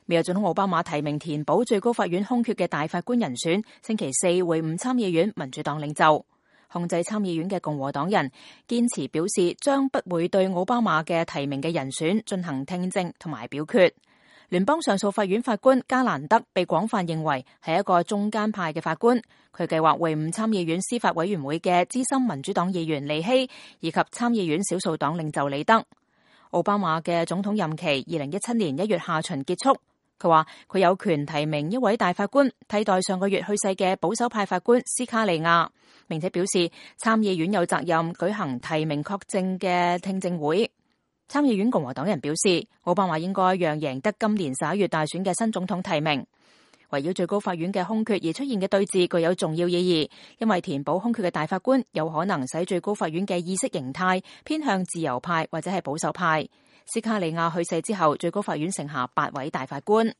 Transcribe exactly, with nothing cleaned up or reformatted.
美國總統奧巴馬提名填補最高法院空缺嘅大法官人選，星期四會晤參議院民主黨領袖。控制參議院嘅共和黨人堅持表示，將不會對奧巴馬嘅提名嘅人選進行聽證同埋表決。聯邦上訴法院法官加蘭德被廣泛認為係一個中間派嘅法官，佢計劃會晤參議院司法委員會嘅資深民主黨議員利希以及參議院少數黨領袖李德。奧巴馬嘅總統任期二零一七年一月下旬結束。佢話佢有權提名一位大法官替代上個月去世嘅保守派法官斯卡利亞，並且表示參議院有責任舉行提名確證嘅聽證會。參議院共和黨人表示，奧巴馬應該讓贏得今年十一月大選嘅新總統提名。圍繞最高法院嘅空缺而出現嘅對峙具有重要意義，因為填補空缺嘅大法官有可能使最高法院嘅意識形態偏向自由派或者係保守派。斯卡利亞去世之後，最高法院剩下八位大法官。